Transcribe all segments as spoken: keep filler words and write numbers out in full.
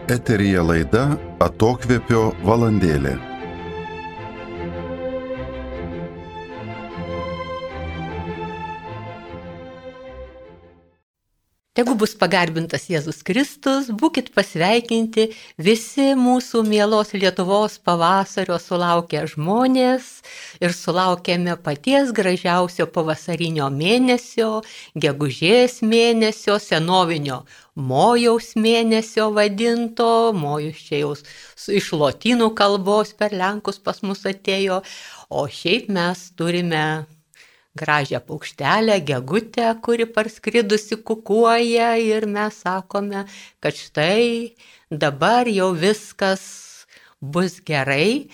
Eteryje laida Atokvėpio valandėlė. Tegu bus pagarbintas Jėzus Kristus, būkit pasveikinti visi mūsų mielos Lietuvos pavasario sulaukę žmonės ir sulaukėme paties gražiausio pavasarinio mėnesio, gegužės mėnesio, senovinio mojaus mėnesio vadinto, mojus čia jau iš lotynų kalbos per lenkus pas mus atėjo, o šiaip mes turime gražią paukštelę, gegutę, kuri parskridusi kukuoja ir mes sakome, kad štai dabar jau viskas bus gerai.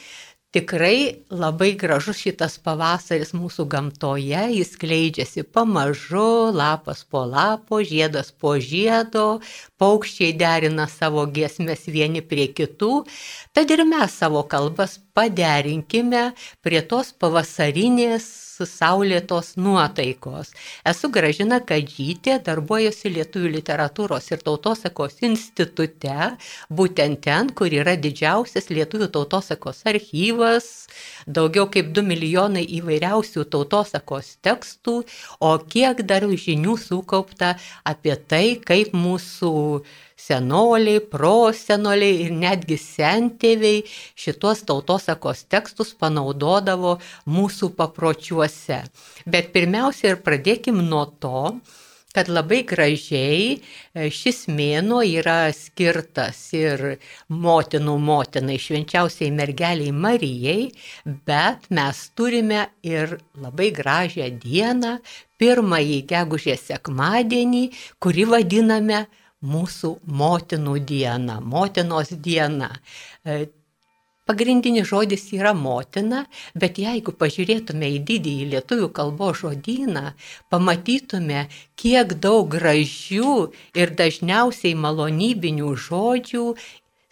Tikrai labai gražus šitas pavasaris mūsų gamtoje, jis skleidžiasi pamažu, lapas po lapo, žiedas po žiedo, paukščiai derina savo giesmes vieni prie kitų, tad ir mes savo kalbas paderinkime prie tos pavasarinės saulėtos nuotaikos. Esu Gražina Kadžytė, darbuojuosi Lietuvių literatūros ir tautosakos institute, būtent ten, kur yra didžiausias lietuvių tautosakos archyvas, daugiau kaip du milijonai įvairiausių tautosakos tekstų, o kiek dar žinių sukaupta apie tai, kaip mūsų senoliai, prosenoliai ir netgi sentėviai šitos tautosakos tekstus panaudodavo mūsų papročiuose. Bet pirmiausia ir pradėkim nuo to, kad labai gražiai šis mėnuo yra skirtas ir motinų motinai, švenčiausiai mergeliai Marijai, bet mes turime ir labai gražią dieną, pirmąjį gegužės sekmadienį, kurį vadiname mūsų motinų diena, motinos diena. Pagrindinis žodis yra motina, bet jeigu pažiūrėtume į didįjį lietuvių kalbos žodyną, pamatytume, kiek daug gražių ir dažniausiai malonybinių žodžių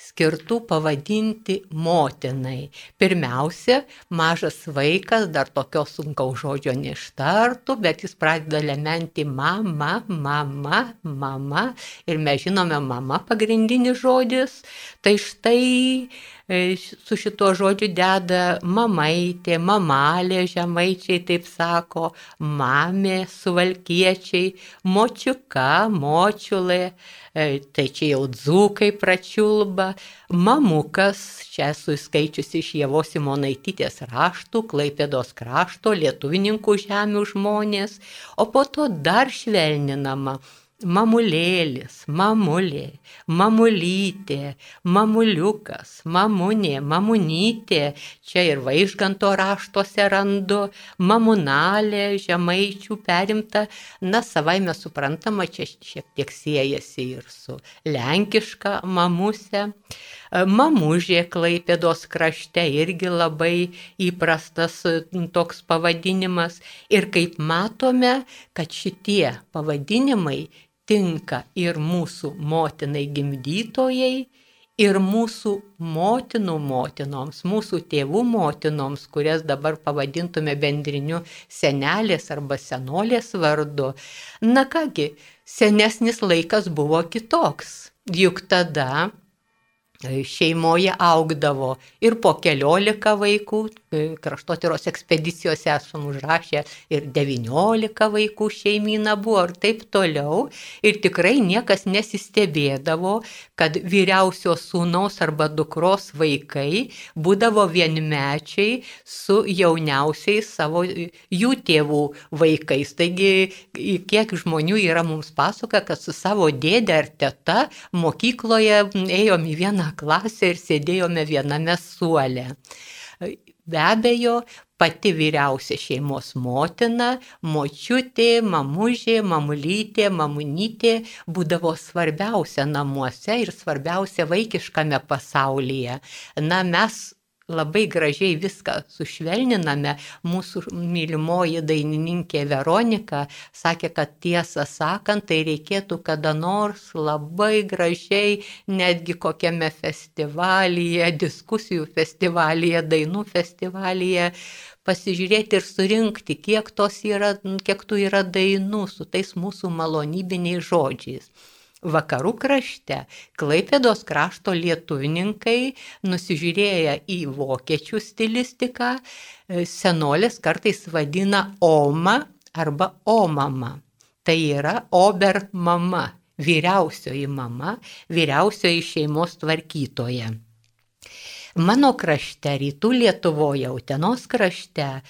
skirtų pavadinti motinai. Pirmiausia, mažas vaikas dar tokio sunkaus žodžio neištartų, bet jis pradeda lementi mama, mama, mama. Ir mes žinome, mama pagrindinis žodis. Tai štai su šituo žodžiu deda mamaitė, mamalė, žemaičiai taip sako, mamė, suvalkiečiai, močiuka, močiulė, tai čia jau dzūkai pračiulba, mamukas, čia esu skaičiusi iš Ievos Simonaitytės raštų, Klaipėdos krašto, lietuvininkų žemių žmonės, o po to dar švelninama mamulėlis, mamulė, mamulytė, mamuliukas, mamunė, mamunytė, čia ir Vaižganto raštuose randu, mamunalė, žemaičių perimta, na savaime suprantama, čia šiek tiek siejasi ir su lenkiška mamuse. Mamužė Klaipėdos krašte irgi labai įprastas toks pavadinimas. Ir kaip matome, kad šitie pavadinimai tinka ir mūsų motinai gimdytojai, ir mūsų motinų motinoms, mūsų tėvų motinoms, kurias dabar pavadintume bendriniu senelės arba senolės vardu. Na kągi, senesnis laikas buvo kitoks, juk tada šeimoje augdavo ir po keliolika vaikų, kraštotyros ekspedicijose esam užrašę ir devyniolika vaikų šeimyna buvo ir taip toliau. Ir tikrai niekas nesistebėdavo, kad vyriausios sūnaus arba dukros vaikai būdavo vienmečiai su jauniausiais savo jų tėvų vaikais. Taigi, kiek žmonių yra mums pasakoja, kad su savo dėde ar teta mokykloje ėjom į vieną klasę ir sėdėjome viename suole. Be abejo, pati vyriausia šeimos motina, močiutė, mamužė, mamulytė, mamunytė būdavo svarbiausia namuose ir svarbiausia vaikiškame pasaulyje. Na, mes labai gražiai viską sušvelniname. Mūsų mylimoji dainininkė Veronika sakė, kad tiesą sakant, tai reikėtų kada nors labai gražiai, netgi kokiame festivalyje, diskusijų festivalyje, dainų festivalyje, pasižiūrėti ir surinkti, kiek, tos yra, kiek tų yra dainų su tais mūsų malonybiniais žodžiais. Vakarų krašte Klaipėdos krašto lietuvininkai, nusižiūrėję į vokiečių stilistiką, senolės kartais vadina oma arba omama. Tai yra ober mama, vyriausioji mama, vyriausioji šeimos tvarkytoja. Mano krašte, rytų Lietuvoje, Utenos krašte,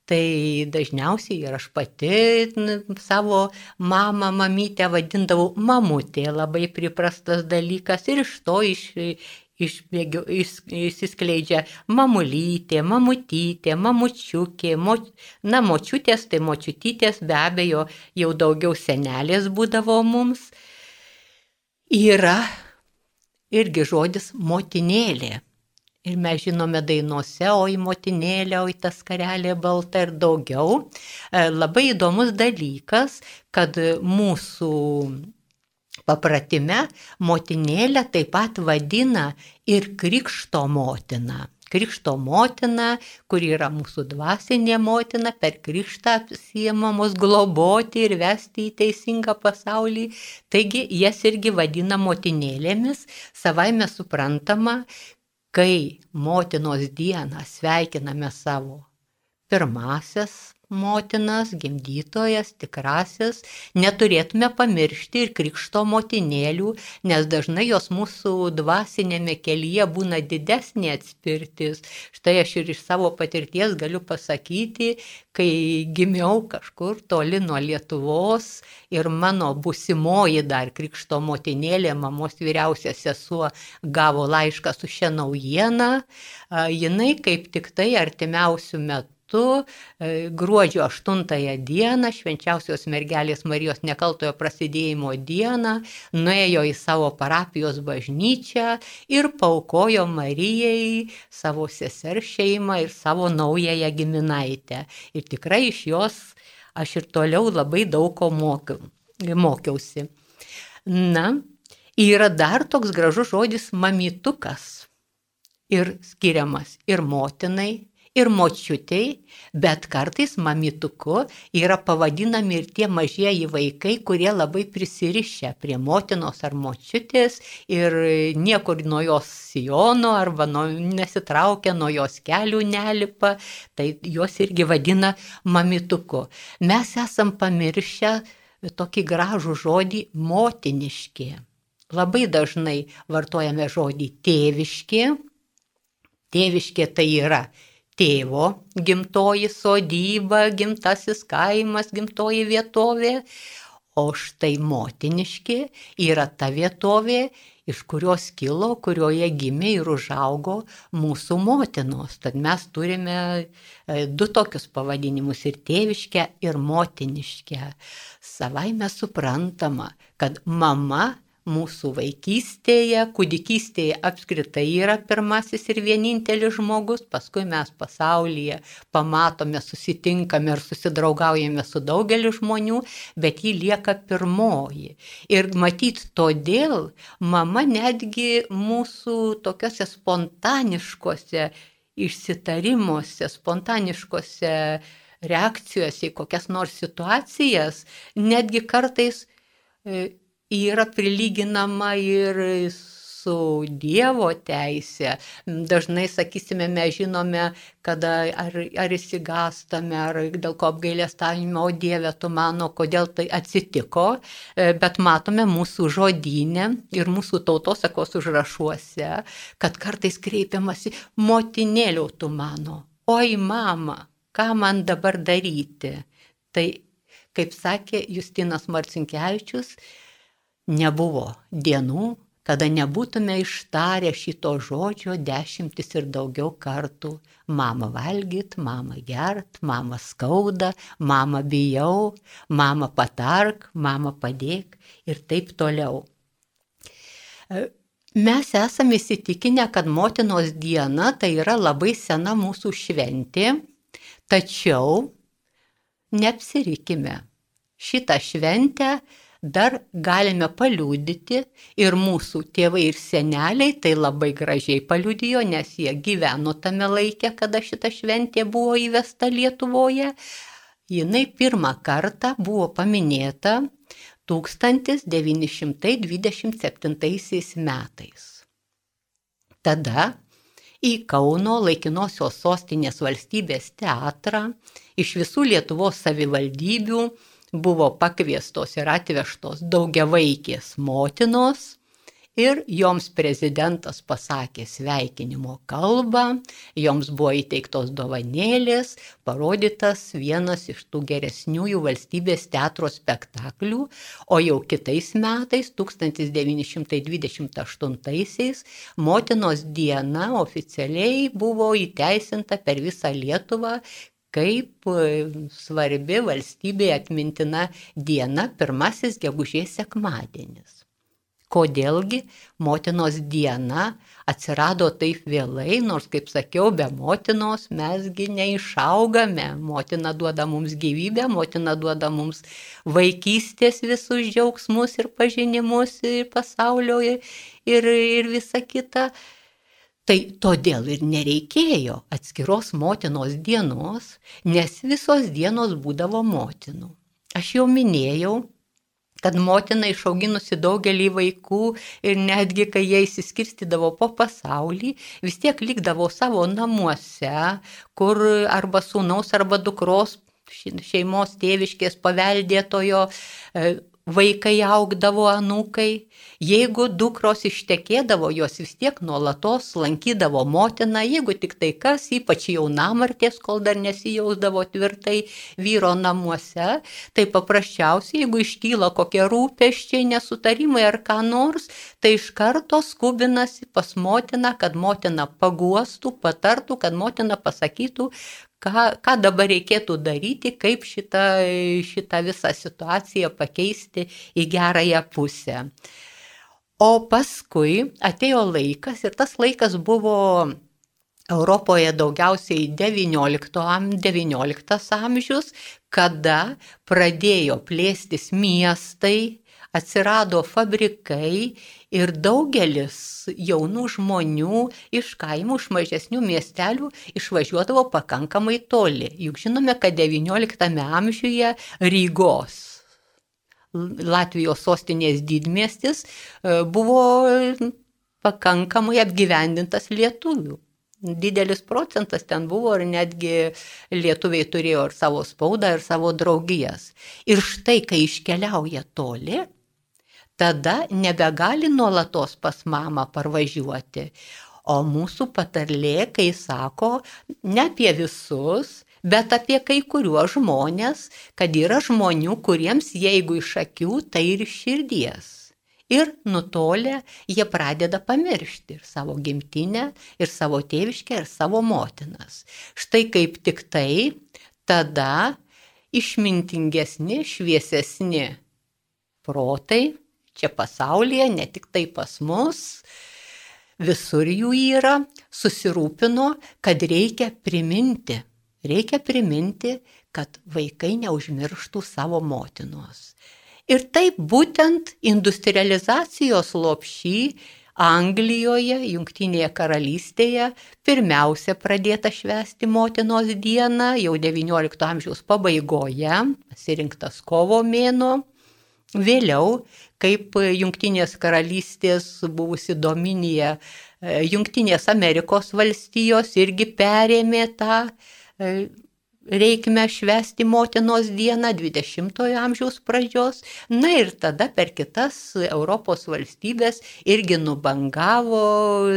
tai dažniausiai ir aš pati savo mamą, mamytę vadindavau mamutė, labai priprastas dalykas, ir iš to iš, išbėgiu, iš, išsiskleidžia mamulytė, mamutytė, mamučiukė, mo, na, močiutės, tai močiutytės, be abejo, jau daugiau senelės būdavo mums. Yra irgi žodis motinėlė. Ir mes žinome dainose, oi motinėlė, oi tas karelė balta ir daugiau. Labai įdomus dalykas, kad mūsų papratime motinėlę taip pat vadina ir krikšto motina. Krikšto motina, kuri yra mūsų dvasinė motina, per krikštą apsiėmamos globoti ir vesti į teisingą pasaulį. Taigi jas irgi vadina motinėlėmis, savaime suprantama, kai motinos dieną sveikiname savo pirmasias motinas, gimdytojas, tikrasis, neturėtume pamiršti ir krikšto motinėlių, nes dažnai jos mūsų dvasinėme kelyje būna didesnė atspirtis. Štai aš ir iš savo patirties galiu pasakyti, kai gimiau kažkur toli nuo Lietuvos ir mano būsimoji dar krikšto motinėlė, mamos vyriausia sesuo, gavo laišką su šia naujiena, jinai kaip tik tai artimiausių metų gruodžio aštuntąją dieną, švenčiausios mergelės Marijos nekaltojo prasidėjimo dieną, nuėjo į savo parapijos bažnyčią ir paaukojo Marijai savo sesers šeimą ir savo naująją giminaitę. Ir tikrai iš jos aš ir toliau labai daug ko mokiau, mokiausi. Na, yra dar toks gražus žodis mamytukas. Ir skiriamas ir motinai, ir močiutei, bet kartais mamytuku yra pavadinami ir tie mažieji vaikai, kurie labai prisirišę prie motinos ar močiutės ir niekur nuo jos sijono arba nuo, nesitraukia, nuo jos kelių nelipa, tai jos irgi vadina mamytuku. Mes esam pamiršę tokį gražų žodį motiniški. Labai dažnai vartojame žodį tėviški. Tėviškė tai yra tėvo gimtoji sodyba, gimtasis kaimas, gimtoji vietovė, o štai motiniški yra ta vietovė, iš kurios kilo, kurioje gimė ir užaugo mūsų motinos. Tad mes turime du tokius pavadinimus, ir tėviškę, ir motiniškę. Savaime suprantama, kad mama mūsų vaikystėje, kūdikystėje apskritai yra pirmasis ir vienintelis žmogus, paskui mes pasaulyje pamatome, susitinkame ir susidraugaujame su daugeliu žmonių, bet ji lieka pirmoji. Ir matyt, todėl mama netgi mūsų tokiuose spontaniškose išsitarimuose, spontaniškose reakcijose į kokias nors situacijas, netgi kartais yra prilyginama ir su Dievo teise. Dažnai, sakysime, mes žinome, kada ar, ar įsigąstame, ar dėl ko apgailestavimo, o Dieve, tu mano, kodėl tai atsitiko, bet matome mūsų žodyne ir mūsų tautosakos užrašuose, kad kartais kreipiamasi motinėliau tu mano, oi mama, ką man dabar daryti. Tai, kaip sakė Justinas Marcinkevičius, nebuvo dienų, kada nebūtume ištarę šito žodžio dešimtis ir daugiau kartų. Mama valgyt, mama gert, mama skauda, mama bijau, mama patark, mama padėk ir taip toliau. Mes esame įsitikinę, kad motinos diena tai yra labai sena mūsų šventė, tačiau neapsirikime. Šitą šventę dar galime paliudyti ir mūsų tėvai ir seneliai tai labai gražiai paliudijo, nes jie gyveno tame laike, kada šita šventė buvo įvesta Lietuvoje. Jinai pirmą kartą buvo paminėta tūkstantis devyni šimtai dvidešimt septintaisiais metais. Tada į Kauno laikinosios sostinės valstybės teatrą iš visų Lietuvos savivaldybių buvo pakviestos ir atvežtos daugiavaikės motinos ir joms prezidentas pasakė sveikinimo kalbą, joms buvo įteiktos dovanėlės, parodytas vienas iš tų geresniųjų valstybės teatro spektaklių, o jau kitais metais, tūkstantis devyni šimtai dvidešimt aštuntaisiais, motinos diena oficialiai buvo įteisinta per visą Lietuvą kaip svarbi valstybė atmintina diena, pirmasis gegužės sekmadienis. Kodėlgi motinos diena atsirado taip vėlai, nors, kaip sakiau, be motinos mesgi neišaugame. Motina duoda mums gyvybę, motina duoda mums vaikystės visus džiaugsmus ir pažinimus ir pasaulio ir, ir visa kita. Tai todėl ir nereikėjo atskiros motinos dienos, nes visos dienos būdavo motinų. Aš jau minėjau, kad motina išauginusi daugelį vaikų ir netgi, kai jie išsiskirstydavo po pasaulį, vis tiek likdavo savo namuose, kur arba sūnaus, arba dukros šeimos tėviškės paveldėtojo vaikai augdavo, anūkai. Jeigu dukros ištekėdavo, jos vis tiek nuolatos lankydavo motiną, jeigu tik tai kas, ypač jaunamartės, kol dar nesijausdavo tvirtai vyro namuose, tai paprasčiausiai, jeigu iškyla kokie rūpesčiai, nesutarimai ar ką nors, tai iš karto skubinasi pas motiną, kad motina paguostų, patartų, kad motina pasakytų, Ką, ką dabar reikėtų daryti, kaip šitą, šitą visą situaciją pakeisti į gerąją pusę. O paskui atėjo laikas, ir tas laikas buvo Europoje daugiausiai devynioliktas amžius, kada pradėjo plėstis miestai, atsirado fabrikai ir daugelis jaunų žmonių iš kaimų, iš mažesnių miestelių išvažiuodavo pakankamai toli. Juk žinome, kad devynioliktame amžiuje Rygos, Latvijos sostinės didmiestis, buvo pakankamai apgyvendintas lietuvių. Didelis procentas ten buvo ir netgi lietuviai turėjo ir savo spaudą, ir savo draugijas. Ir štai, kai iškeliauja toli, tada nebegali nuolatos pas mamą parvažiuoti. O mūsų patarlė, kai sako, ne apie visus, bet apie kai kuriuos žmonės, kad yra žmonių, kuriems jeigu iš akių, tai ir iš širdies. Ir nutolę jie pradeda pamiršti ir savo gimtinę, ir savo tėviškę, ir savo motinas. Štai kaip tik tai tada išmintingesni, šviesesni protai, čia pasaulyje, ne tik tai pas mus, visur jų yra, susirūpino, kad reikia priminti, reikia priminti, kad vaikai neužmirštų savo motinos. Ir taip būtent industrializacijos lopšy Anglijoje, Jungtinėje karalystėje, pirmiausia pradėta švęsti motinos dieną, jau devyniolikto amžiaus pabaigoje, pasirinktas kovo mėnuo. Vėliau, kaip Jungtinės karalystės buvusi dominija, Jungtinės Amerikos valstijos irgi perėmė tą reikmę švęsti motinos dieną dvidešimtojo amžiaus pradžios. Na ir tada per kitas Europos valstybės irgi nubangavo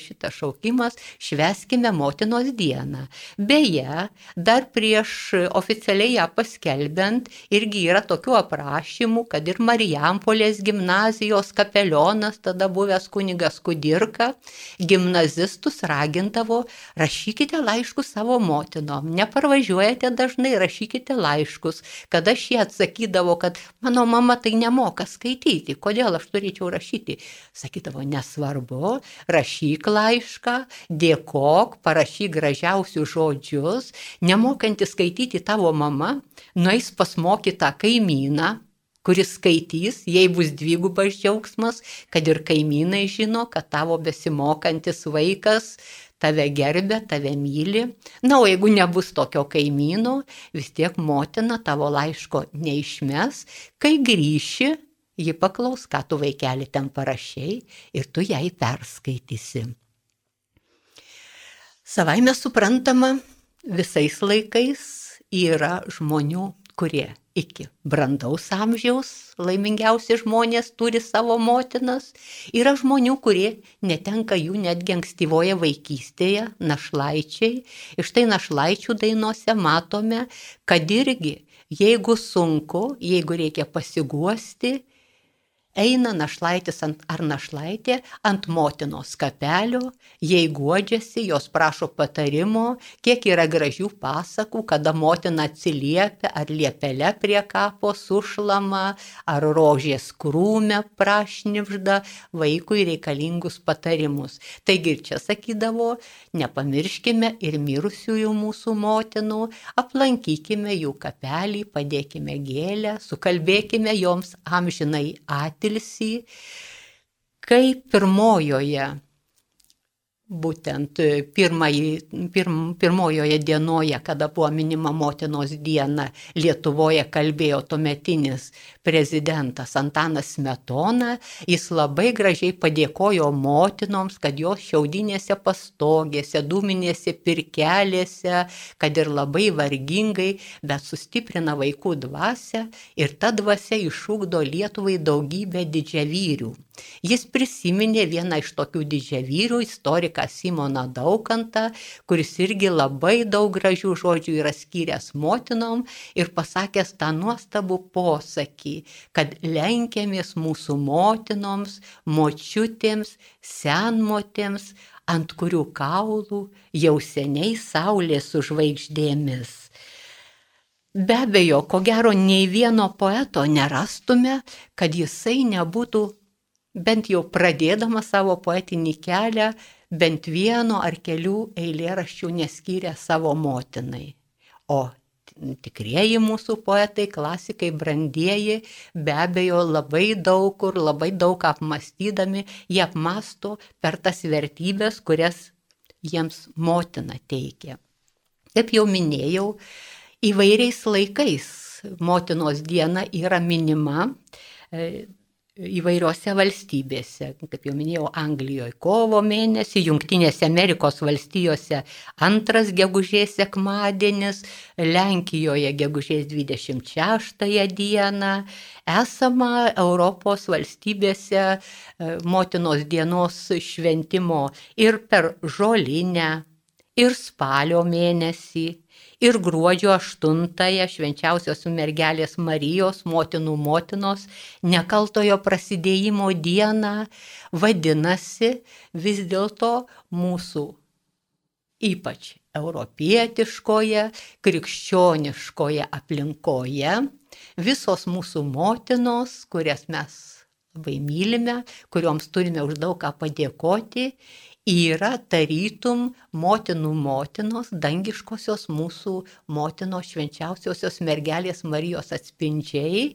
šitas šaukimas švęskime motinos dieną. Beje, dar prieš oficialiai ją paskelbiant irgi yra tokių aprašymų, kad ir Marijampolės gimnazijos kapelionas, tada buvęs kunigas Kudirka, gimnazistus ragindavo, rašykite laiškus savo motinom, neparvažiuokite. Važiuojate dažnai, rašykite laiškus, kada šie atsakydavo, kad mano mama tai nemoka skaityti, kodėl aš turėčiau rašyti. Sakydavo, nesvarbu, rašyk laišką, dėkok, parašyk gražiausius žodžius, nemokanti skaityti tavo mama, nueis pas mokytą kaimyną, kuris skaitys, jei bus dvigubas džiaugsmas, kad ir kaimynai žino, kad tavo besimokantis vaikas tave gerbia, tave myli. Na, o jeigu nebus tokio kaimyno, vis tiek motina tavo laiško neišmes, kai grįši, ji paklaus, ką tu vaikeli ten parašiai ir tu jai perskaitysi. Savaime suprantama, visais laikais yra žmonių, kurie iki brandaus amžiaus laimingiausi žmonės turi savo motinas. Yra žmonių, kurie netenka jų netgi ankstyvoje vaikystėje, našlaičiai. Ir štai našlaičių dainose matome, kad irgi, jeigu sunku, jeigu reikia pasiguosti, eina našlaitis ant, ar našlaitė ant motinos kapelio, jei guodžiasi, jos prašo patarimo, kiek yra gražių pasakų, kada motina atsiliepia, ar liepele prie kapo sušlama, ar rožės krūme prašnibžda vaikui reikalingus patarimus. Taigi ir čia sakydavo, nepamirškime ir mirusiųjų mūsų motinų, aplankykime jų kapelį, padėkime gėlę, sukalbėkime joms amžinai atilsį. Kai pirmojoje, būtent pirmai, pirm, pirmojoje dienoje, kada buvo minima motinos diena, Lietuvoje kalbėjo tuometinis prezidentas Antanas Smetona, jis labai gražiai padėkojo motinoms, kad jos šiaudinėse pastogėse, dūminėse pirkelėse, kad ir labai vargingai, bet sustiprina vaikų dvasią ir ta dvasia išugdo Lietuvai daugybę didžiavyrių. Jis prisiminė vieną iš tokių didžiavyrių, istoriką Simoną Daukantą, kuris irgi labai daug gražių žodžių yra skyręs motinom ir pasakęs tą nuostabų posakį, kad lenkiamės mūsų motinoms, močiutėms, senmotėms, ant kurių kaulų jau seniai saulė su žvaigždėmis. Be abejo, ko gero, nei vieno poeto nerastume, kad jisai nebūtų bent jau pradėdama savo poetinį kelią, bent vieno ar kelių eilėraščių neskyrė savo motinai. O tikrieji mūsų poetai, klasikai, brandieji, be abejo labai daug kur, labai daug apmastydami, jie apmasto per tas vertybės, kurias jiems motina teikia. Kaip jau minėjau, įvairiais laikais motinos diena yra minima įvairiose valstybėse, kaip jau minėjau, Anglijoje kovo mėnesį, Jungtinėse Amerikos valstijose antras gegužės sekmadienis, Lenkijoje gegužės dvidešimt šeštąją dieną, esama Europos valstybėse motinos dienos šventimo ir per žolinę, ir spalio mėnesį, ir gruodžio aštuntąją švenčiausios mergelės Marijos motinų motinos nekaltojo prasidėjimo dieną. Vadinasi, vis dėlto mūsų ypač europietiškoje, krikščioniškoje aplinkoje visos mūsų motinos, kurias mes labai mylime, kurioms turime už daug ką padėkoti, yra tarytum motinų motinos, dangiškosios mūsų motinos švenčiausiosios mergelės Marijos atspindžiai,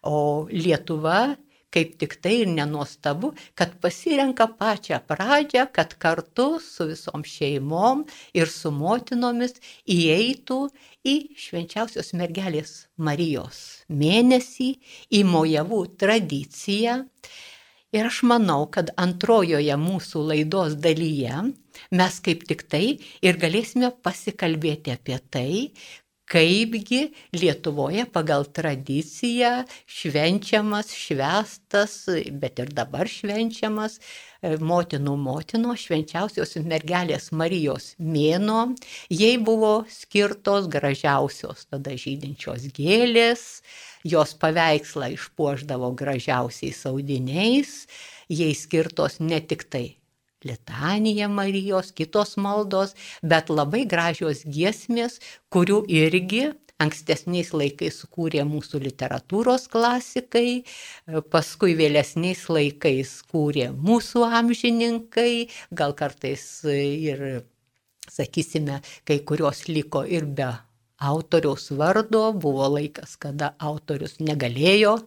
o Lietuva kaip tik tai ir nenuostabu, kad pasirenka pačią pradžią, kad kartu su visom šeimom ir su motinomis įeitų į švenčiausios mergelės Marijos mėnesį, į mojavų tradiciją. Ir aš manau, kad antrojoje mūsų laidos dalyje mes kaip tik tai ir galėsime pasikalbėti apie tai, kaipgi Lietuvoje pagal tradiciją švenčiamas, švęstas, bet ir dabar švenčiamas motinų motinos švenčiausios mergelės Marijos mėnuo. Jai buvo skirtos gražiausios tada žydinčios gėlės, jos paveikslą išpuošdavo gražiausiais audiniais, jai skirtos ne tik tai litanija Marijos, kitos maldos, bet labai gražios giesmės, kurių irgi ankstesniais laikais sukūrė mūsų literatūros klasikai, paskui vėlesniais laikais kūrė mūsų amžininkai, gal kartais ir, sakysime, kai kurios liko ir be autoriaus vardo, buvo laikas, kada autorius negalėjo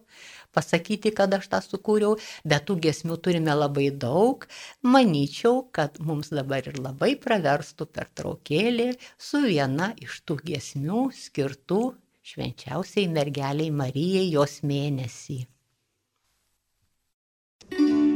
pasakyti, kad aš tą sukūriau, bet tų giesmių turime labai daug. Manyčiau, kad mums dabar ir labai praverstų pertraukėlė su viena iš tų giesmių skirtų švenčiausiai mergeliai Marijai jos mėnesį. Thank you.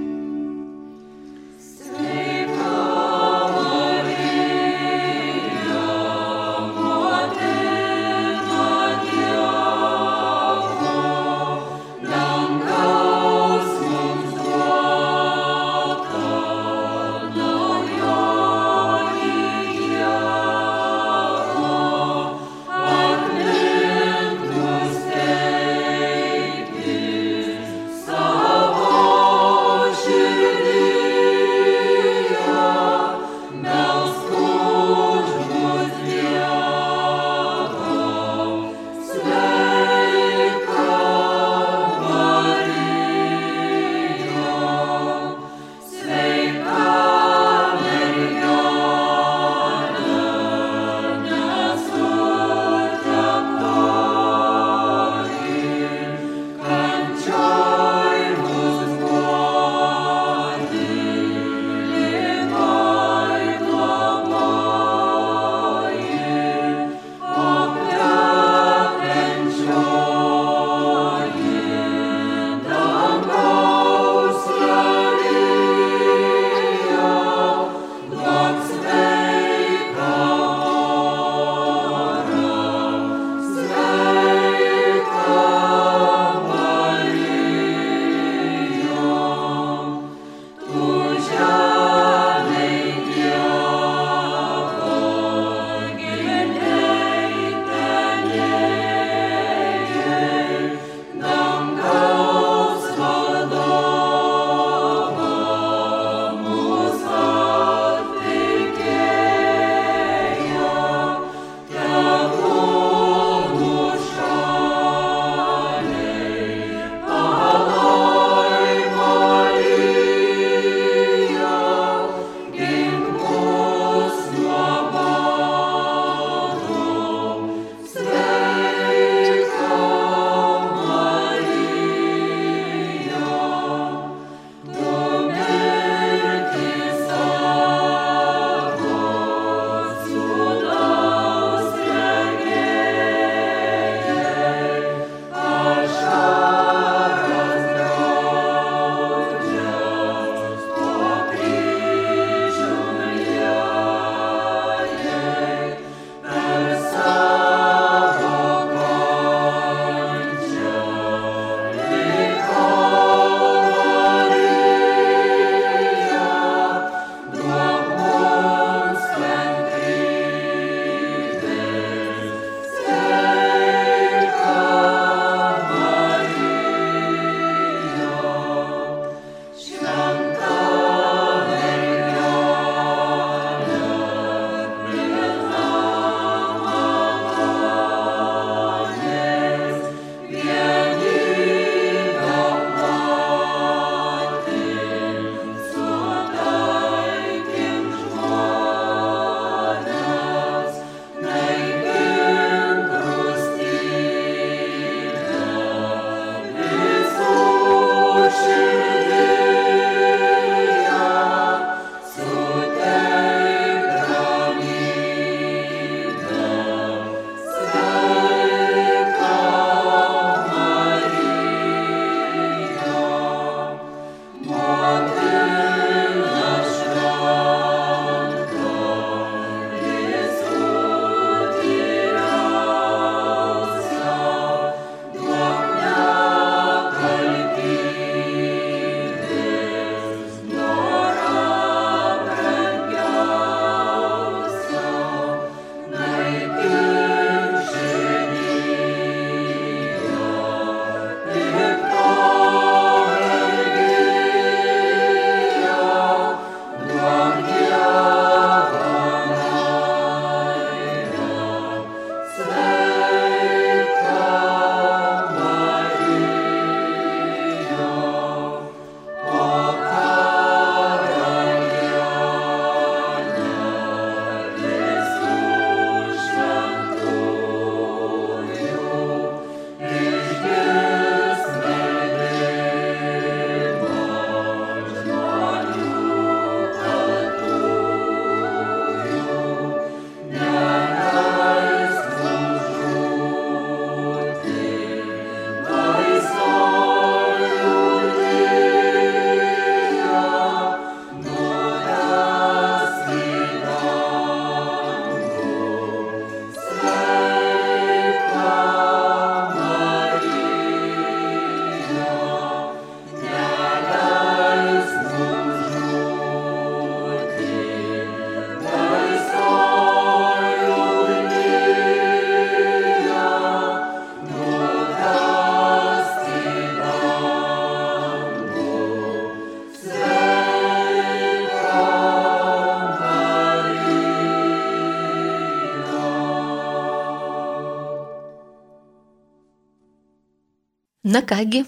Na kągi,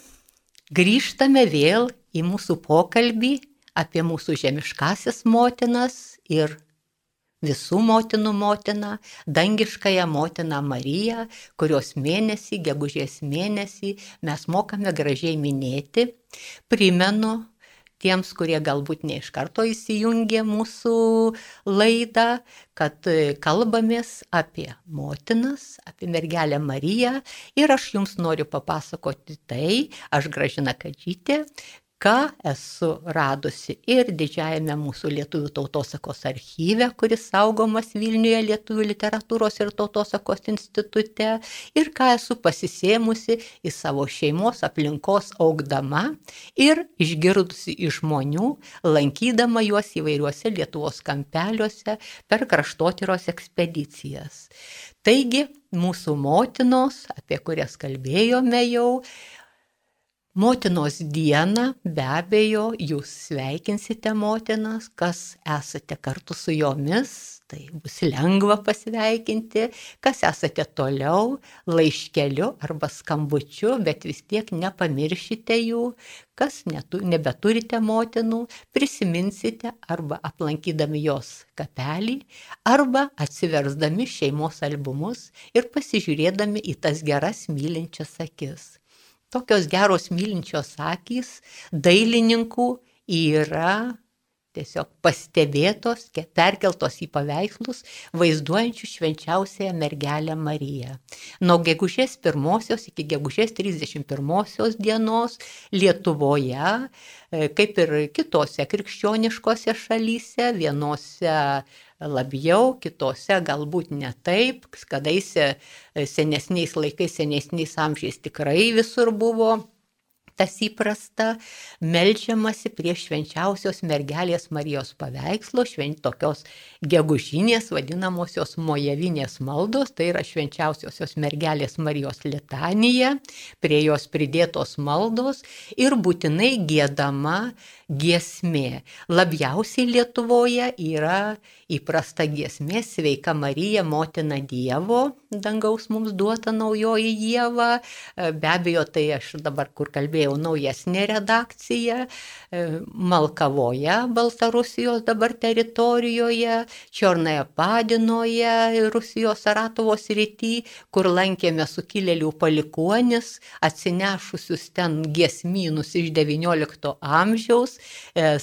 grįžtame vėl į mūsų pokalbį apie mūsų žemiškasis motinas ir visų motinų motiną, dangiškąją motiną Mariją, kurios mėnesį, gegužės mėnesį mes mokame gražiai minėti. Primenu tiems, kurie galbūt ne iš karto įsijungė mūsų laidą, kad kalbamės apie motinas, apie mergelę Mariją ir aš jums noriu papasakoti tai, aš Gražina Kadžytė, ką esu radusi ir didžiajame mūsų Lietuvių tautosakos archyve, kuris saugomas Vilniuje Lietuvių literatūros ir tautosakos institute, ir ką esu pasisėmusi į savo šeimos aplinkos augdama ir išgirdusi iš žmonių, lankydama juos įvairiuose Lietuvos kampeliuose per kraštotyros ekspedicijas. Taigi, mūsų motinos, apie kurias kalbėjome jau, Motinos dieną be abejo jūs sveikinsite motinas, kas esate kartu su jomis, tai bus lengva pasveikinti, kas esate toliau laiškeliu arba skambučiu, bet vis tiek nepamiršite jų, kas netu, nebeturite motinų, prisiminsite arba aplankydami jos kapelį, arba atsiversdami šeimos albumus ir pasižiūrėdami į tas geras mylinčias akis. Tokios geros mylinčios akys dailininkų yra tiesiog pastebėtos, perkeltos į paveikslus, vaizduojančių švenčiausiąją mergelę Mariją. Nuo gegužės pirmosios iki gegužės trisdešimt pirmosios dienos Lietuvoje, kaip ir kitose krikščioniškose šalyse, vienose labiau, kitose galbūt ne taip, kadaise senesniais laikais, senesniais amžiais tikrai visur buvo tas įprasta, meldžiamasi prie švenčiausios mergelės Marijos paveikslo, švent tokios gegužinės vadinamosios mojavinės maldos, tai yra švenčiausiosios mergelės Marijos litanija, prie jos pridėtos maldos ir būtinai giedama giesmė. Labiausiai Lietuvoje yra įprasta giesmė Sveika Marija, motina Dievo, dangaus mums duota naujoji Ieva. Be abejo, tai aš dabar, kur kalbėjau, naujesnė redakcija, Malkavoje, Baltarusijos dabar teritorijoje, Čiornaja Padinoje, Rusijos Saratovo srity, kur lankėme sukilėlių palikuonis, atsinešusius ten giesmynus iš devyniolikto amžiaus.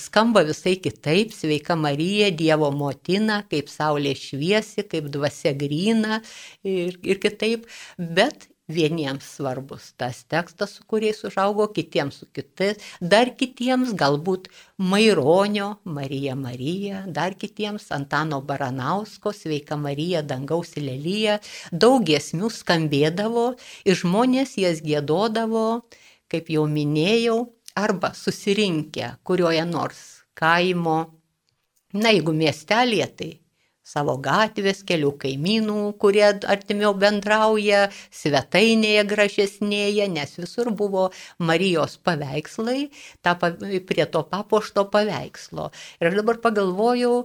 Skamba visai kitaip, Sveika Marija, Dievo motina, kaip saulė šviesi, kaip dvasia gryna ir, ir kitaip, bet vieniems svarbus tas tekstas, su kuriais užaugo, kitiems su kitais, dar kitiems galbūt Maironio Marija Marija, dar kitiems Antano Baranausko Sveika Marija, dangaus lelija, daug giesmių skambėdavo ir žmonės jas giedodavo, kaip jau minėjau, arba susirinkę kurioje nors kaimo, na jeigu miestelėje, tai savo gatvės, kelių kaimynų, kurie artimiau bendrauja, svetainėje gražesnėje, nes visur buvo Marijos paveikslai, ta, prie to papuošto paveikslo. Ir aš dabar pagalvojau,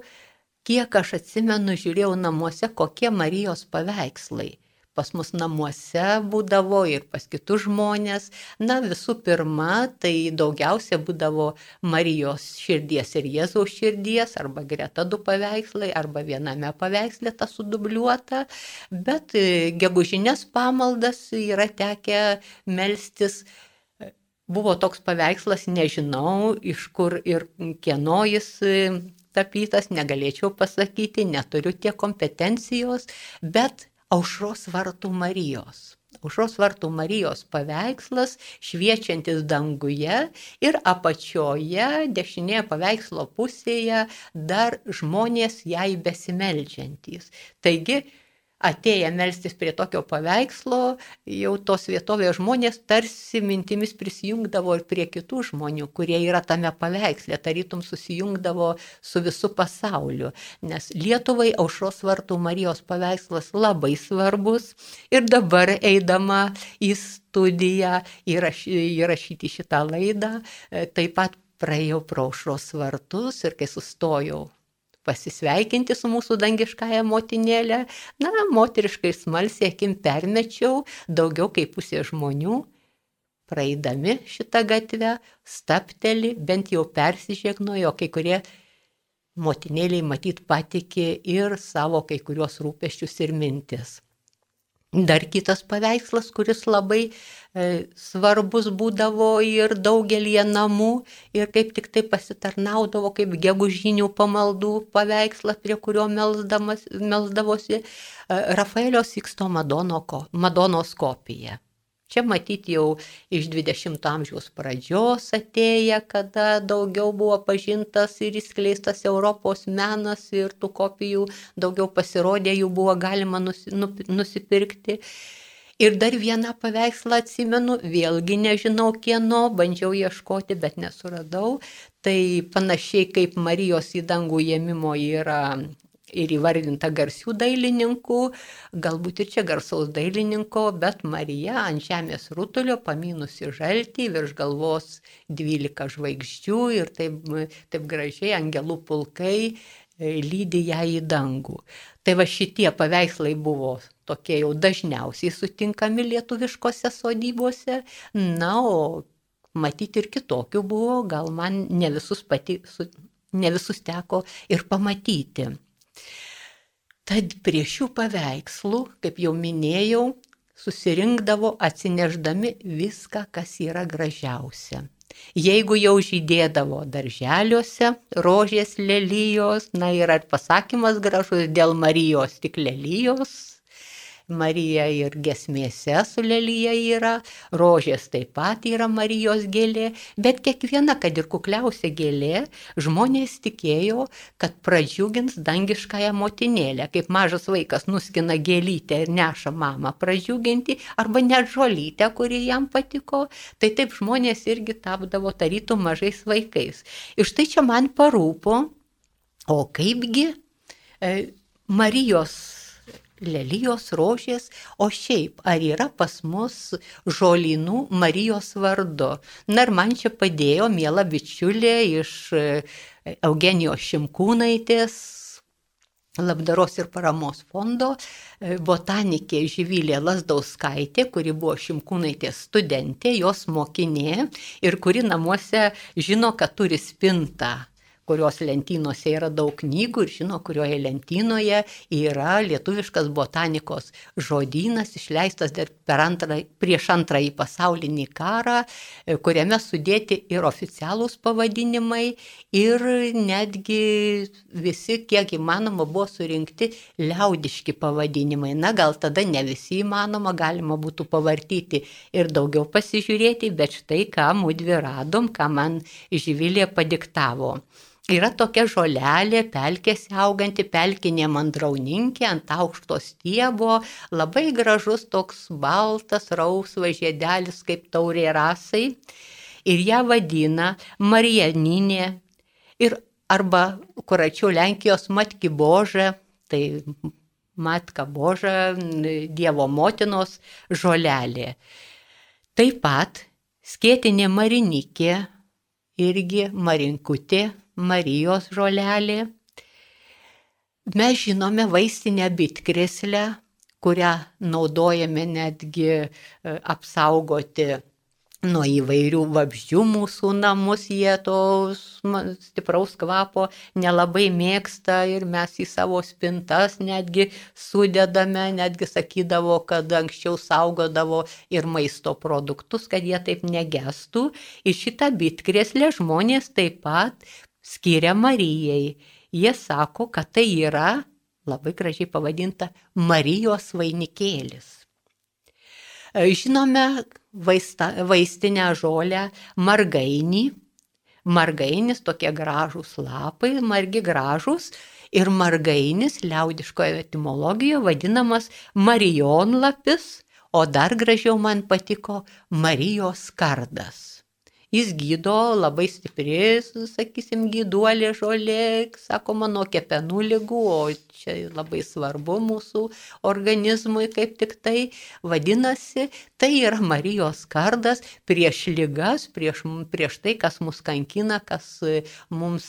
kiek aš atsimenu, žiūrėjau namuose, kokie Marijos paveikslai pas mus namuose būdavo ir pas kitus žmonės. Na, visų pirma, tai daugiausia būdavo Marijos širdies ir Jėzaus širdies, arba greta du paveikslai, arba viename paveiksle ta sudubliuota, bet gegužinės pamaldas yra tekę melstis. Buvo toks paveikslas, nežinau, iš kur ir kieno jis tapytas, negalėčiau pasakyti, neturiu tiek kompetencijos, bet Aušros vartų Marijos. Aušros vartų Marijos paveikslas, šviečiantis danguje ir apačioje, dešinėje paveikslo pusėje, dar žmonės jai besimeldžiantys. Taigi, atėję melstis prie tokio paveikslo, jau tos vietovės žmonės tarsi mintimis prisijungdavo ir prie kitų žmonių, kurie yra tame paveiksle, tarytum susijungdavo su visu pasauliu. Nes Lietuvai Aušros vartų Marijos paveikslas labai svarbus ir dabar eidama į studiją įraš, įrašyti šitą laidą, taip pat praėjau pro Aušros vartus ir kai sustojau pasisveikinti su mūsų dangiškąja motinėlė, na, moteriškai smalsiai akim permečiau, daugiau kaip pusė žmonių praeidami šitą gatvę, stapteli, bent jau persižegnojo, kai kurie motinėliai matyt patikė ir savo kai kurios rūpesčius ir mintis. Dar kitas paveikslas, kuris labai e, svarbus būdavo ir daugelie namų ir kaip tik tai pasitarnaudavo kaip gegužinių pamaldų paveikslas, prie kurio melsdamas, melsdavosi, e, Rafaelio Siksto Madono, Madonos kopija. Čia matyti jau iš dvidešimto amžiaus pradžios atėję, kada daugiau buvo pažintas ir įskleistas Europos menas ir tų kopijų daugiau pasirodė, jų buvo galima nusi, nusipirkti. Ir dar vieną paveikslą atsimenu, vėlgi nežinau kieno, bandžiau ieškoti, bet nesuradau. Tai panašiai kaip Marijos į dangų ėmimo yra ir įvardinta garsių dailininkų, galbūt ir čia garsaus dailininko, bet Marija ant žemės rutulio pamynusi žaltį, virš galvos dvylika žvaigždžių ir taip, taip gražiai angelų pulkai lydi ją į dangų. Tai va šitie paveikslai buvo tokie jau dažniausiai sutinkami lietuviškose sodybose, na, o matyti ir kitokių buvo, gal man ne visus, pati, ne visus teko ir pamatyti. Tad prie šių paveikslų, kaip jau minėjau, susirinkdavo atsineždami viską, kas yra gražiausia. Jeigu jau žydėdavo darželiuose, rožės, lelijos, na ir ar pasakymas gražus, dėl Marijos tik lelijos, Marija ir giesmėse su lelija yra, rožės taip pat yra Marijos gėlė, bet kiekviena, kad ir kukliausia gėlė, žmonės tikėjo, kad pradžiugins dangiškąją motinėlę, kaip mažas vaikas nuskina gėlytę ir neša mamą pradžiuginti, arba net žolytę, kuri jam patiko, tai taip žmonės irgi tapdavo tarytum mažais vaikais. Ir štai čia man parūpo, o kaipgi e, Marijos lelijos, rožės, o šiaip, ar yra pas mus žolynų Marijos vardu? Na ir man čia padėjo miela bičiulė iš Eugenijos Šimkūnaitės labdaros ir paramos fondo, botanikė Živilė Lazdauskaitė, kuri buvo Šimkūnaitės studentė, jos mokinė ir kuri namuose žino, kad turi spintą, kurios lentynose yra daug knygų ir žino, kurioje lentynoje yra lietuviškas botanikos žodynas, išleistas dar per antrą, prieš antrąjį pasaulinį karą, kuriame sudėti ir oficialūs pavadinimai, ir netgi visi, kiek įmanoma, buvo surinkti liaudiški pavadinimai. Na, gal tada ne visi įmanoma, galima būtų pavartyti ir daugiau pasižiūrėti, bet štai ką mudvi radom, ką man Živilė padiktavo. Yra tokia žolelė, pelkėse auganti, pelkinė mandrauninkė ant aukšto stiebo, labai gražus toks baltas, rausvas žiedelis kaip taurė rasai. Ir ją vadina Marijaninė ir arba kur arčiau Lenkijos Matki Boža, tai Matka Boža, Dievo motinos žolelė. Taip pat skėtinė marinikė, irgi marinkutė, Marijos žolelė. Mes žinome vaistinę bitkreslę, kurią naudojame netgi apsaugoti nuo įvairių vabzdžių mūsų namus, jie to stipraus kvapo nelabai mėgsta ir mes į savo spintas netgi sudedame, netgi sakydavo, kad anksčiau saugodavo ir maisto produktus, kad jie taip negestų. Ir šitą bitkreslę žmonės taip pat skiria Marijai. Jie sako, kad tai yra, labai gražiai pavadinta, Marijos vainikėlis. Žinome vaista, vaistinę žolę margainį. Margainis, tokie gražūs lapai, margi gražūs. Ir margainis liaudiškoje etimologijoje vadinamas marijonlapis, o dar gražiau man patiko Marijos kardas. Jis gydo labai stipri, sakysim, gyduolė žolė, sakoma, nuo kepenų ligų, o čia labai svarbu mūsų organizmui kaip tik tai. Vadinasi, tai yra Marijos kardas prieš ligas, prieš, prieš tai, kas mus kankina, kas mums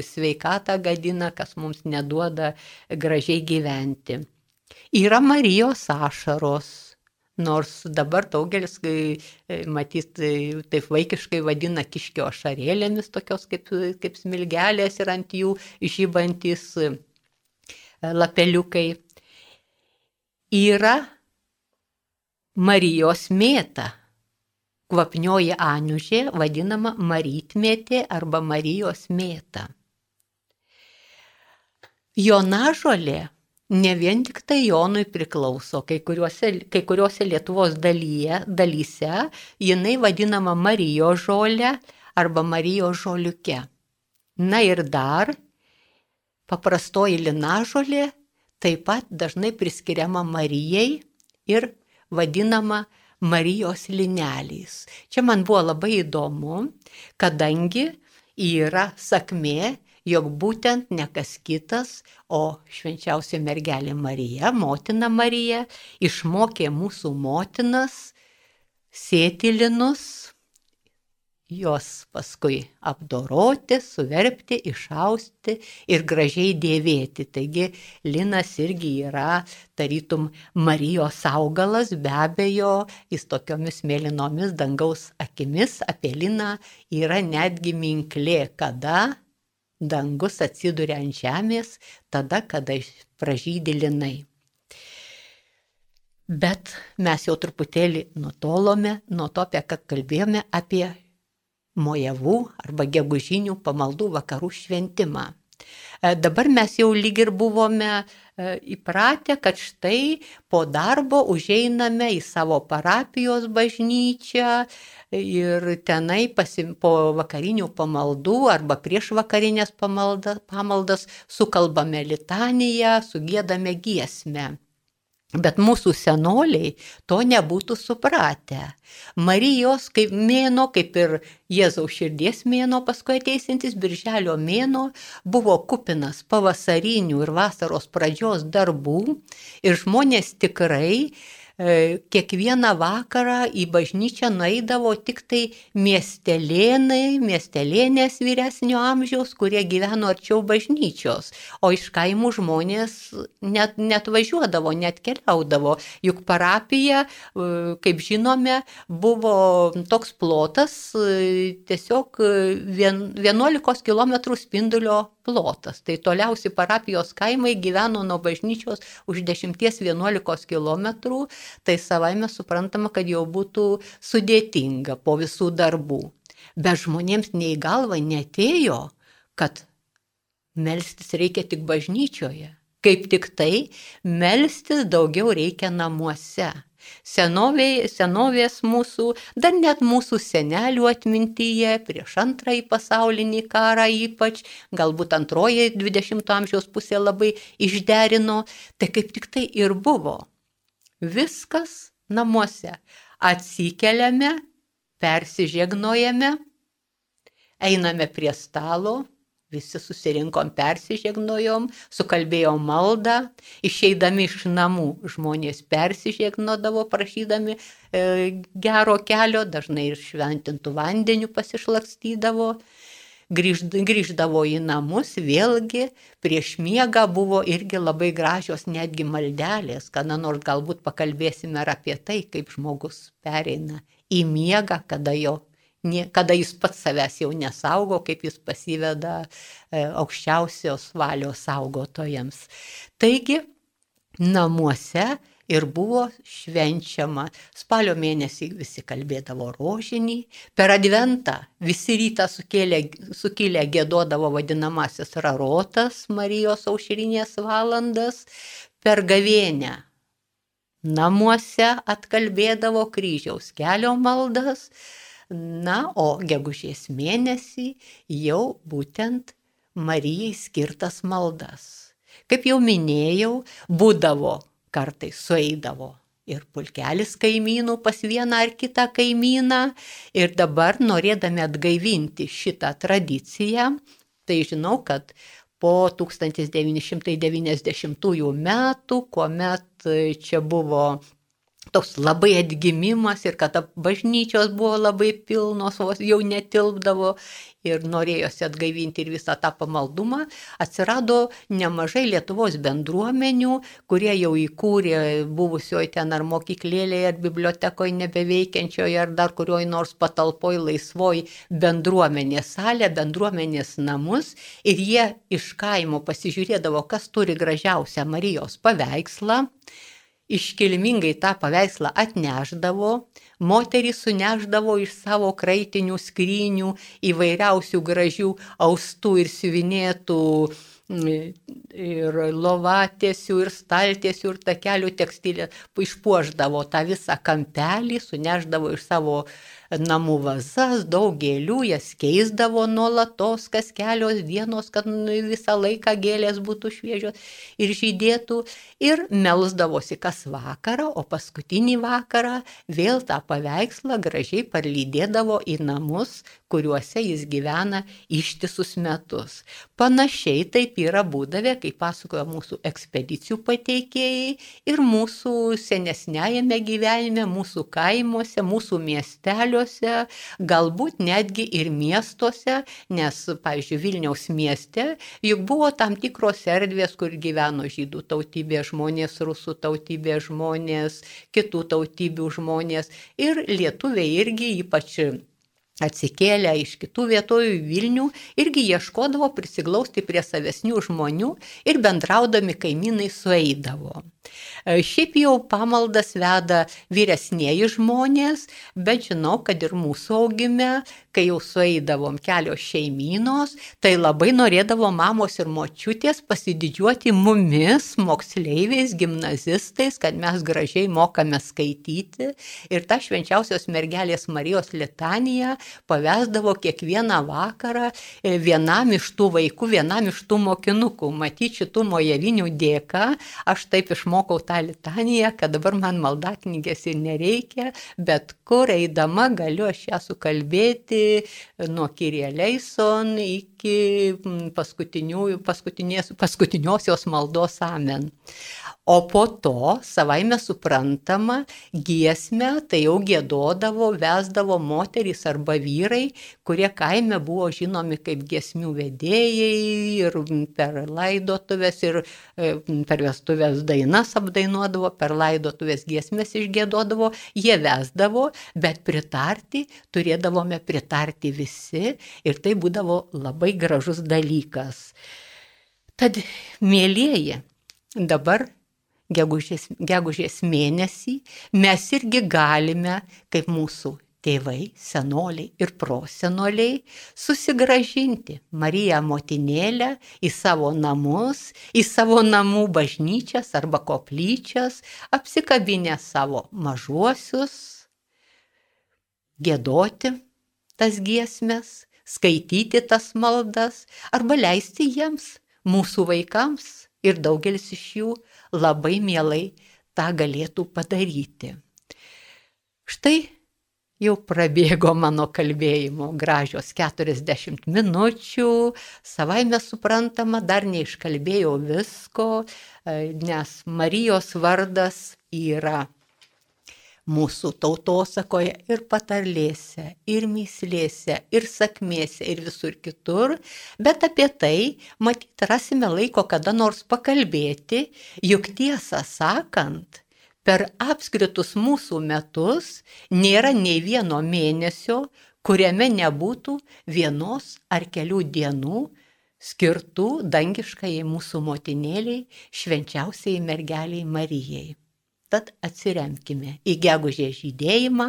sveikatą gadina, kas mums neduoda gražiai gyventi. Yra Marijos ašaros. nors dabar daugelis, matyt, taip vaikiškai vadina kiškio ašarėlėmis, tokios kaip, kaip smilgelės ir ant jų žybantis lapeliukai. Yra Marijos mėta, kvapnioji aniužė, vadinama marytmėtė arba Marijos mėta. Jonažolė ne vien tik tai Jonui priklauso, kai kuriuose, kai kuriuose Lietuvos dalyje, dalyse jinai vadinama Marijos žolė arba Marijos žoliuke. Na ir dar paprastoji linažolė taip pat dažnai priskiriama Marijai ir vadinama Marijos lineliais. Čia man buvo labai įdomu, kadangi yra sakmė, jog būtent ne kas kitas, o švenčiausia mergelė Marija, motina Marija, išmokė mūsų motinas sėti linus, juos paskui apdoroti, suverpti, išausti ir gražiai dėvėti. Taigi linas irgi yra tarytum Marijos augalas, be abejo, jis tokiomis mėlynomis dangaus akimis. Apie liną yra netgi minklė, kada dangus atsiduria ant žemės, tada, kada pražydi linai. Bet mes jau truputėlį nutolome nuo to, apie ką kalbėjome, apie mojavų arba gegužinių pamaldų vakarų šventimą. Dabar mes jau lyg ir buvome įpratę, kad štai po darbo užeiname į savo parapijos bažnyčią ir tenai pasim, po vakarinių pamaldų arba prieš vakarinės pamalda, pamaldas sukalbame litaniją, sugiedame giesmę. Bet mūsų senoliai to nebūtų supratę. Marijos kaip mėnuo, kaip ir Jėzaus širdies mėnuo, paskui ateisintis birželio mėnuo, buvo kupinas pavasarinių ir vasaros pradžios darbų ir žmonės tikrai kiekvieną vakarą į bažnyčią nueidavo tik tai miestelėnai, miestelėnės vyresnio amžiaus, kurie gyveno arčiau bažnyčios, o iš kaimų žmonės net, net važiuodavo, net keliaudavo. Juk parapija, kaip žinome, buvo toks plotas, tiesiog vienuolikos kilometrų spindulio plotas. Tai toliausi parapijos kaimai gyveno nuo bažnyčios už dešimties vienuolikos kilometrų. Tai savaime suprantama, kad jau būtų sudėtinga po visų darbų. Bet žmonėms nei galva neatėjo, kad melstis reikia tik bažnyčioje. Kaip tik tai, melstis daugiau reikia namuose. Senovė, senovės mūsų, dar net mūsų senelių atmintyje, prieš antrąjį pasaulinį karą ypač, galbūt antroji dvidešimto amžiaus pusė labai išderino, tai kaip tik tai ir buvo. Viskas namuose. Atsikeliame, persižegnojame, einame prie stalo, visi susirinkom, persižegnojom, sukalbėjom maldą, išeidami iš namų žmonės persižegnodavo, prašydami e, gero kelio, dažnai ir šventintų vandeniu pasišlakstydavo. Grįždavo į namus, vėlgi prieš miegą buvo irgi labai gražios netgi maldelės, kada nors galbūt pakalbėsime ir apie tai, kaip žmogus pereina į miegą, kada, jo, kada jis pats savęs jau nesaugo, kaip jis pasiveda aukščiausios valios saugotojams. Taigi, namuose ir buvo švenčiama. Spalio mėnesį visi kalbėdavo rožinį, per adventą visi rytą sukėlė, sukilę giedodavo vadinamasis rarotas, Marijos aušrinės valandas, per gavėnią namuose atkalbėdavo kryžiaus kelio maldas, na, o gegužės mėnesį jau būtent Marijai skirtas maldas. Kaip jau minėjau, būdavo kartais sueidavo ir pulkelis kaimynų pas vieną ar kitą kaimyną ir dabar norėdami atgaivinti šitą tradiciją, tai žinau, kad po tūkstantis devyni šimtai devyniasdešimtųjų metų, kuomet čia buvo toks labai atgimimas ir kad bažnyčios buvo labai pilnos, vos jau netilpdavo ir norėjosi atgaivinti ir visą tą pamaldumą, atsirado nemažai Lietuvos bendruomenių, kurie jau įkūrė buvusioje ten ar mokyklėlėje, ar bibliotekoje nebeveikiančioje, ar dar kurioj nors patalpoj laisvoj bendruomenės salę, bendruomenės namus ir jie iš kaimo pasižiūrėdavo, kas turi gražiausią Marijos paveikslą. Iškilmingai tą paveikslą atnešdavo, moterys suneždavo iš savo kraitinių skrynių įvairiausių gražių austų ir siuvinėtų ir lovatėsių, ir staltiesių, ir takelių tekstilę, išpuošdavo tą visą kampelį, suneždavo iš savo namų vazas, daug gėlių, jas keisdavo nuolatos, kas kelios dienos, kad visą laiką gėlės būtų šviežios ir žydėtų, ir melsdavosi kas vakarą, o paskutinį vakarą vėl tą paveikslą gražiai parlydėdavo į namus, kuriuose jis gyvena ištisus metus. Panašiai taip yra būdavę, kaip pasakoja mūsų ekspedicijų pateikėjai ir mūsų senesniajame gyvenime, mūsų kaimuose, mūsų miesteliuose, galbūt netgi ir miestuose, nes, pavyzdžiui, Vilniaus mieste juk buvo tam tikros erdvės, kur gyveno žydų tautybės žmonės, rusų tautybės žmonės, kitų tautybių žmonės ir lietuviai irgi ypač atsikėlę iš kitų vietovių į Vilnių, irgi ieškodavo prisiglausti prie savesnių žmonių ir bendraudami kaimynai sueidavo. Šiaip jau pamaldas veda vyresnieji žmonės, bet žinau, kad ir mūsų augime, kai jau sueidavom kelios šeimynos, tai labai norėdavo mamos ir močiutės pasididžiuoti mumis, moksleiviais, gimnazistais, kad mes gražiai mokame skaityti ir tą švenčiausios mergelės Marijos litaniją pavesdavo kiekvieną vakarą vienam iš tų vaikų, vienam iš tų mokinukų. Matyt, šitų mojavinių dėka aš taip išmokau tą litaniją, kad dabar man maldaknygės ir nereikia, bet kur eidama galiu aš ją sukalbėti nuo Kyrie eleison iki paskutiniosios maldos amen. O po to, savaime suprantama, giesmę tai jau giedodavo, vesdavo moterys arba vyrai, kurie kaime buvo žinomi kaip giesmių vedėjai ir per laidotuvės ir per vestuvės dainas apdainuodavo, per laidotuvės giesmės išgiedodavo, jie vesdavo, bet pritarti turėdavome pritarti visi ir tai būdavo labai gražus dalykas. Tad, mielieji, dabar Gegužės, gegužės mėnesį mes irgi galime, kaip mūsų tėvai, senoliai ir prosenoliai, susigrąžinti Mariją motinėlę į savo namus, į savo namų bažnyčias arba koplyčias, apsikabinę savo mažuosius, giedoti tas giesmes, skaityti tas maldas arba leisti jiems, mūsų vaikams, ir daugelis iš jų labai mielai tą galėtų padaryti. Štai jau prabėgo mano kalbėjimo gražios keturiasdešimt minučių, savaime suprantama, dar neiškalbėjau visko, nes Marijos vardas yra mūsų tautosakoje ir patarlėse, ir mįslėse, ir sakmėse, ir visur kitur, bet apie tai, matyt, rasime laiko kada nors pakalbėti, juk tiesą sakant, per apskritus mūsų metus nėra nei vieno mėnesio, kuriame nebūtų vienos ar kelių dienų skirtų dangiškai mūsų motinėliai, švenčiausiai mergeliai Marijai. Tad atsiremkime į gegužės žydėjimą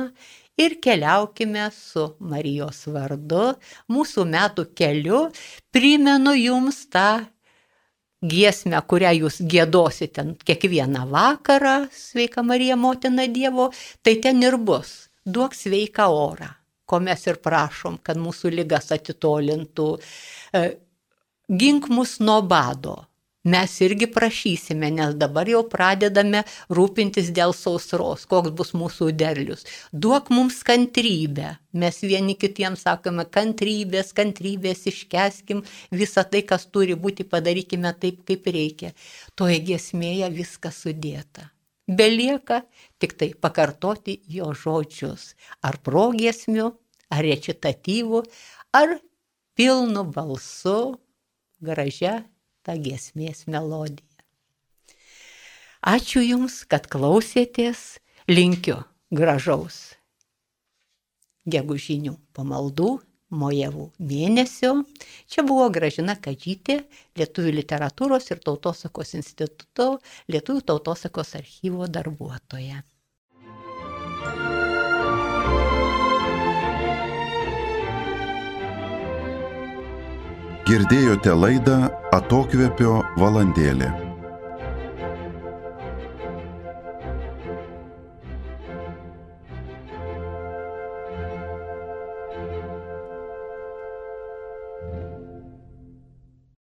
ir keliaukime su Marijos vardu, mūsų metų keliu. Primenu jums tą giesmę, kurią jūs giedosite kiekvieną vakarą, sveika Marija, motina Dievo, tai ten ir bus. Duok sveiką orą, ko mes ir prašom, kad mūsų ligas atitolintų. Gink mus nuo bado. Mes irgi prašysime, nes dabar jau pradedame rūpintis dėl sausros, koks bus mūsų derlius. Duok mums kantrybę. Mes vieni kitiems sakome kantrybės, kantrybės, iškęskim visą tai, kas turi būti, padarykime taip, kaip reikia. Toje giesmėje viskas sudėta. Belieka tik tai pakartoti jo žodžius, ar progiesmiu, ar recitatyvu, ar pilnu balsu, gražia ta giesmės melodija. Ačiū Jums, kad klausėtės, linkiu gražaus gegužinių pamaldų, mojavų mėnesio. Čia buvo Gražina Kadžytė, Lietuvių literatūros ir tautosakos instituto Lietuvių tautosakos archyvo darbuotoja. Girdėjote laidą Atokvėpio valandėlė.